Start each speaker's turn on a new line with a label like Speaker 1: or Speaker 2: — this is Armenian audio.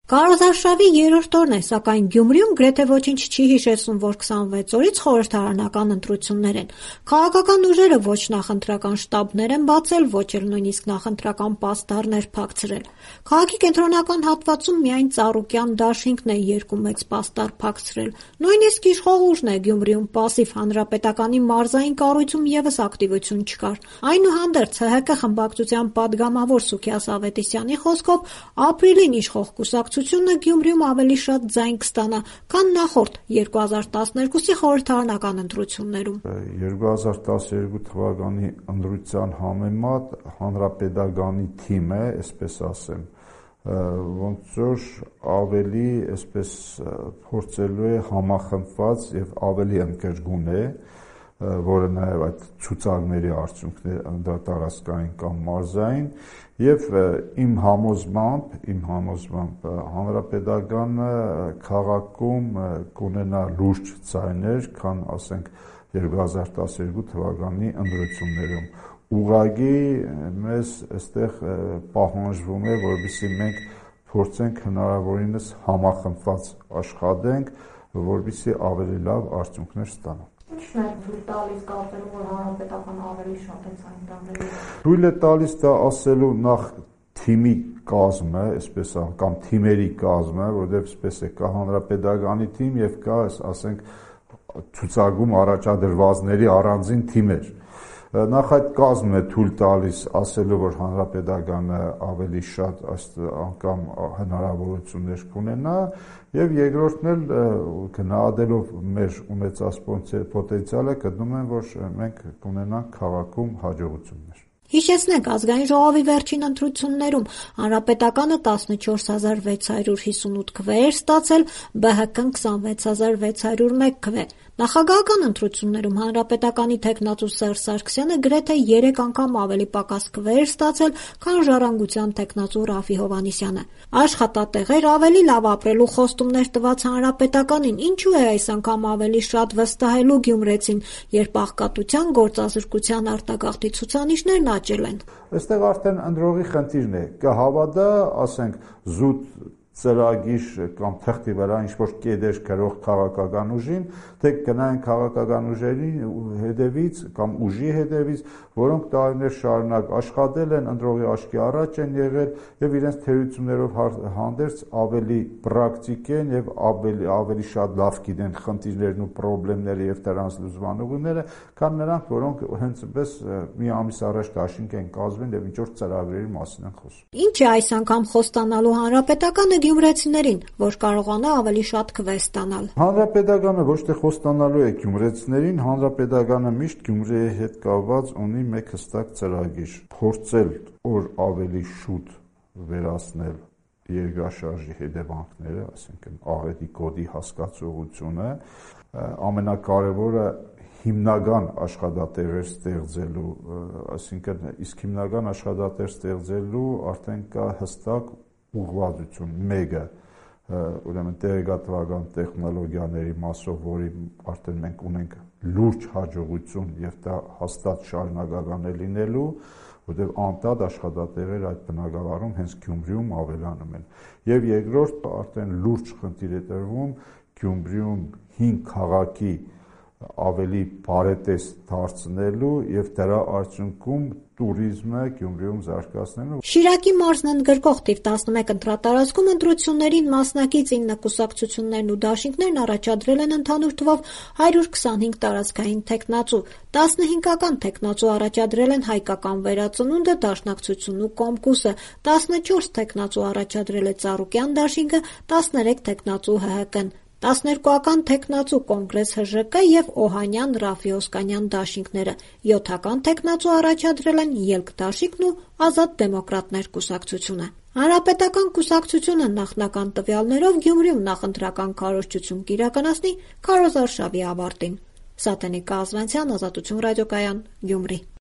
Speaker 1: Քարոզարշավի երրորդ օրն է, սակայն Գյումրիում գրեթե ոչինչ չի հիշեցնում, որ 26 օրից խորհրդարանական ընտրություններ են։ Քաղաքական ուժերը ոչ նախընտրական շտաբներ են բացել, ոչ էլ նույնիսկ նախընտրական պաստառներ փակցրել։ Քաղաքի կենտրոնական հատվածում միայն Ծառուկյան դաշինքն է երկու մեծ պաստառ փակցրել։ Նույնիսկ իշխող ուժն է Գյումրիում պասիվ, հանրապետականի մարզային կառույցում ևս ակտիվություն չկար։ Այնուհանդերձ ՀՀԿ խմբակցության падգամավոր Սուքիաս Ավետիսյանի խոսքով ապրիլին իշխող կուսակցությունը Գյումրիում ավելի շատ ձայն կստանա, քան նախորդ 2012-ի խորհրդարանական ընտրություններում։
Speaker 2: 2012 թվականի ընտրության համեմատ հանրապետականի թիմը, այսպես ասեմ, ոնց որ ավելի այսպես փորձելու է համախմբված եւ ավելի ընդգրկուն է, որը նաև այդ ցուցակների արդյունքներ տարածքային կամ մարզային, եւ իմ համոզմամբ հանրապետականը քաղաքում կունենա լուրջ ձայներ, քան ասենք 2012 թվականի ընտրություններում։ Ուղղակի մեզ այստեղ պահանջվում է, որովհետեւ մենք փորձենք հնարավորինս համախմբված աշխատենք, որովհետեւ ավելի լավ արդյունքներ ստանանք։
Speaker 3: Ինչն է թույլ տալիս կարծելու, որ հանրապետականը ավելի շատ է ցույց տալու։
Speaker 2: Թույլ է տալիս դա ասելու նախ թիմի կազմը, այսպես կամ թիմերի կազմը, որովհետև այսպես է կա հանրապետականի թիմ եւ կա, ասենք, ցուցակում առաջադրվածների առանձին թիմեր։ Նախ այդ կազմն է թույլ տալիս ասելու, որ հանրապետականը ավելի շատ անգամ հնարավորություններ կունենա, եւ երկրորդն էլ գնահատելով մեր ունեցած պոտենցիալը գտնում եմ, որ մենք կունենանք քաղաքում հաջողություններ։
Speaker 1: Հիշեցնենք, ազգային ժողովի վերջին ընտրություններում հանրապետականը 14658 քվեեր ստացել, ԲՀԿ-ն 26601 քվե։ Նախագահական ընտրություններում հանրապետականի թեկնածու Սերժ Սարգսյանը գրեթե 3 անգամ ավելի պակաս քվեեր ստացել, քան Ժառանգության թեկնածու Ռաֆի Հովհաննիսյանը։ Աշխատատեղեր, ավելի լավ ապրելու խոստումներ տված հանրապետականին ինչու է այս անգամ ավելի շատ վստահելու գյումրեցին, երբ աղքատության, գործազրկության արտագաղթի ցուցանիշներն աճել են։
Speaker 2: Այստեղ արդեն ընտրողի խնդիրն է, կհավատա, ասենք, զուտ ծրագիր կամ թղթի վրա ինչ-որ կետեր գրող քաղաքական ուժին, թե գնային քաղաքական ուժերի հետևից կամ ուժի հետևից, որոնք տարիներ շարունակ աշխատել են, ընտրողի աչքի առաջ են եղել եւ իրենց թերություններով հանդերձ ավելի պրակտիկ են եւ ավելի շատ լավ գիտեն խնդիրներն ու խնդիրները եւ դրանց լուծման ուղիները, քան նրանք, որոնք հենց այնպես մի ամիս առաջ դաշինք են կազմել եւ ինչ-որ ծրագրերի մասին են խոսում։
Speaker 1: Ինչ է այս անգամ խոստանալու հանրապետականը գյումրեցիներին, որ կարողանա ավելի շատ քվե ստանալ։
Speaker 2: Հանրապետականը ոչ թե խոստանալու է գյումրեցիներին, հանրապետականը միշտ Գյումրիի հետ կապված ունի մեկ հստակ ծրագիր՝ փորձել օր ավելի շուտ վերացնել երկրաշարժի հետևանքները, այսինքն աղետի կոդի հասկացողությունը, ամենակարևորը հիմնական աշխատատեղեր ստեղծելու, այսինքն իսկ հիմնական աշխատատեղ ստեղծելու արդեն կա հստակ ուղղվածություն, մեկը ուրեմն տեղեկատվական տեխնոլոգիաների մասով, որի արդեն մենք ունենք լուրջ հաջողություն եւ դա հաստատ շարունակական է լինելու, որտեղ անդադ աշխատատեղեր այդ բնակավարում հենց Գյումրիում ավելանում են։ Եվ երկրորդ արդեն լուրջ խնդիր է տրվում Գյումրիում 5 քաղաքի ավելի բարետես դարձնելու եւ դրա արդյունքում տուրիզմը Գյումրիում զարգացնելու։
Speaker 1: Շիրակի մարզն ընդգրկող թիվ 11 ընտրատարածքում ընտրություններին մասնակից 9 կուսակցություններն ու դաշինքներն առաջադրել են ընդհանուր թվով 125 տարածքային թեկնածու, 15-ական թեկնածու առաջադրել են Հայկական վերածնունդը, Դաշնակցությունն ու Կոմկուսը, 14 թեկնածու առաջադրել է Ծառուկյան դաշինքը, 13 թեկնածու ՀՀԿ-ն, 12-ական թեկնածու Կոնգրես ՀԺԿ եւ Օհանյան Ռաֆի Օսկանյան դաշինքները, 7-ական թեկնածու առաջադրել են Ելք դաշինքն ու Ազատ դեմոկրատներ կուսակցությունը։ Հանրապետական կուսակցությունը նախնական տվյալներով Գյումրիում նախընտրական քարոզչություն կիրականացնի քարոզարշավի ավարտին։ Սատենիկ Կազվանցյան, Ազատություն ռադիոկայան, Գյումրի։